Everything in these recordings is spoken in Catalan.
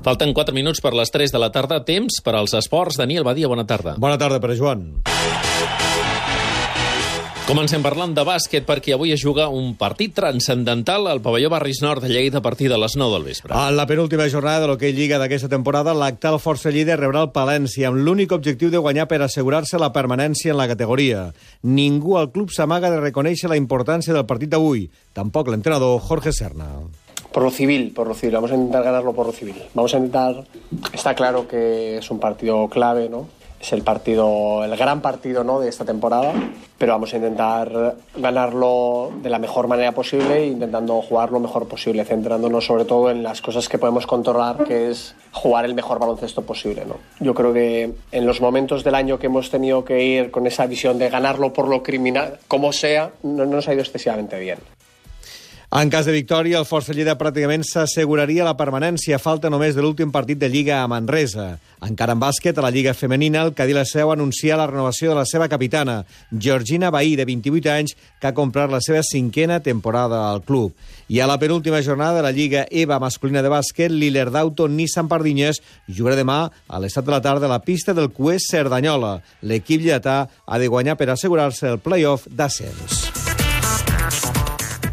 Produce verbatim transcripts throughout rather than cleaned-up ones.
Falten quatre minuts per les tres de la tarda. Temps per als esports. Daniel Badia, bona tarda. Bona tarda, Pere Joan. Comencem parlant de bàsquet perquè avui es juga un partit transcendental al pavelló Barris Nord de Lleida a partir de les nou del vespre. En la penúltima jornada de l'Hockey Lliga d'aquesta temporada, l'actual Força Lleida rebrà el Palència amb l'únic objectiu de guanyar per assegurar-se la permanència en la categoria. Ningú al club s'amaga de reconèixer la importància del partit d'avui. Tampoc l'entrenador Jorge Serna. Por lo civil, por lo civil. Vamos a intentar ganarlo por lo civil. Vamos a intentar... Está claro que es un partido clave, ¿no? Es el partido, el gran partido, ¿no?, de esta temporada, pero vamos a intentar ganarlo de la mejor manera posible, intentando jugar lo mejor posible, centrándonos sobre todo en las cosas que podemos controlar, que es jugar el mejor baloncesto posible, ¿no? Yo creo que en los momentos del año que hemos tenido que ir con esa visión de ganarlo por lo criminal, como sea, no nos ha ido excesivamente bien. En cas de victòria, el Força Lleida pràcticament s'asseguraria la permanència. Falta només de l'últim partit de Lliga a Manresa. Encara en bàsquet, a la Lliga femenina, el Cadí la Seu anuncia la renovació de la seva capitana, Georgina Bahí, de vint-i-vuit anys, que ha comprat la seva cinquena temporada al club. I a la penúltima jornada de la Lliga EVA masculina de bàsquet, l'Ilertauto Nissan Pardinyes jugarà demà a les set de la tarda a la pista del C U E S Cerdanyola. L'equip lleidatà ha de guanyar per assegurar-se el play-off d'ascens.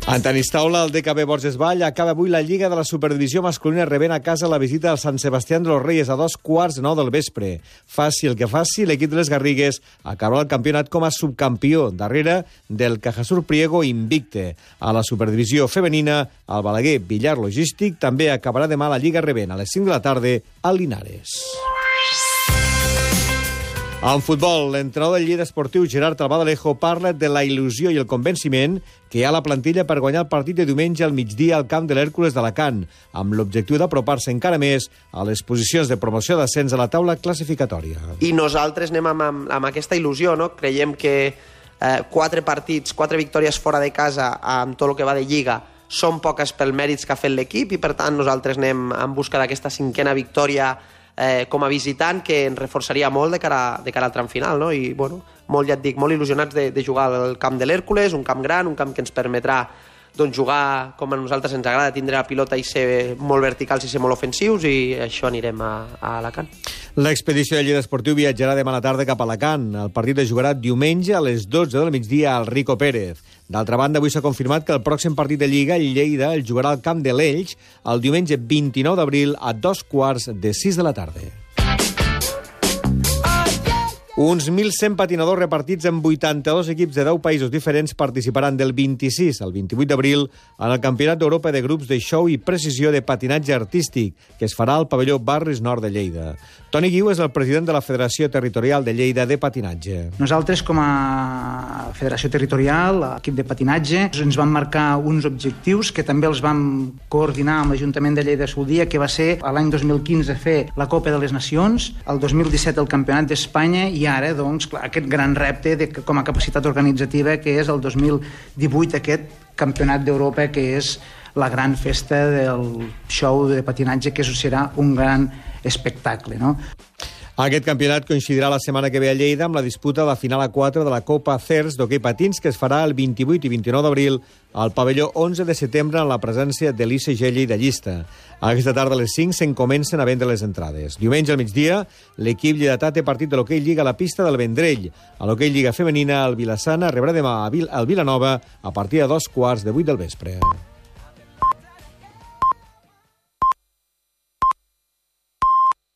En tenis taula, el D K B Borges Vall acaba avui la Lliga de la Superdivisió masculina rebent a casa la visita al Sant Sebastián de los Reyes a dos quarts de nou del vespre. Faci el que faci, l'equip de les Garrigues acabarà el campionat com a subcampió, darrere del Cajasur Priego invicte. A la Superdivisió femenina, el Balaguer Villar Logístic també acabarà demà la Lliga rebent a les cinc de la tarda al Linares. En futbol, l'entrenador del Lleida Esportiu, Gerard Albadalejo, parla de la il·lusió i el convenciment que hi ha a la plantilla per guanyar el partit de diumenge al migdia al camp de l'Hèrcules d'Alacant, amb l'objectiu d'apropar-se encara més a les posicions de promoció d'ascens a la taula classificatòria. I nosaltres anem amb, amb, amb aquesta il·lusió, no? Creiem que eh, quatre partits, quatre victòries fora de casa amb tot el que va de Lliga són poques pel mèrits que ha fet l'equip i, per tant, nosaltres anem en busca d'aquesta cinquena victòria Eh, com a visitant, que ens reforçaria molt de cara, de cara al tram final, no? I, bueno, molt, ja et dic, molt il·lusionats de, de jugar al camp de l'Hèrcules, un camp gran, un camp que ens permetrà doncs, jugar com a nosaltres ens agrada, tindre la pilota i ser molt verticals i ser molt ofensius, i això anirem a, a Alacant. L'expedició de Lleida Esportiu viatjarà demà a la tarda cap a Alacant. El partit es jugarà diumenge a les dotze del migdia al Rico Pérez. D'altra banda, avui s'ha confirmat que el pròxim partit de Lliga, el Lleida, el jugarà al camp de l'Elx el diumenge vint-i-nou d'abril a dos quarts de sis de la tarda. Uns mil cent patinadors repartits en vuitanta-dos equips de deu països diferents participaran del vint-i-sis al vint-i-vuit d'abril en el Campionat d'Europa de grups de show i precisió de patinatge artístic, que es farà al pavelló Barris Nord de Lleida. Toni Guiu és el president de la Federació Territorial de Lleida de Patinatge. Nosaltres, com a Federació Territorial, equip de patinatge, ens vam marcar uns objectius que també els vam coordinar amb l'Ajuntament de Lleida el dia, que va ser l'any dos mil quinze fer la Copa de les Nacions, el dos mil disset el Campionat d'Espanya i ara, doncs, clar, aquest gran repte de, com a capacitat organitzativa, que és el dos mil divuit, aquest Campionat d'Europa, que és la gran festa del show de patinatge, que serà un gran espectacle, no? Aquest campionat coincidirà la setmana que ve a Lleida amb la disputa de la final a quatre de la Copa CERS d'hoquei patins, que es farà el vint-i-vuit i vint-i-nou d'abril al pavelló onze de setembre en la presència de l'I C G lleidallista. Aquesta tarda a les cinc se'n comencen a vendre les entrades. Diumenge al migdia, l'equip lleidatà té partit de l'hoquei Lliga a la pista del Vendrell. A l'hoquei Lliga femenina, el Vilassana rebrà demà al Vilanova a partir de dos quarts de vuit del vespre.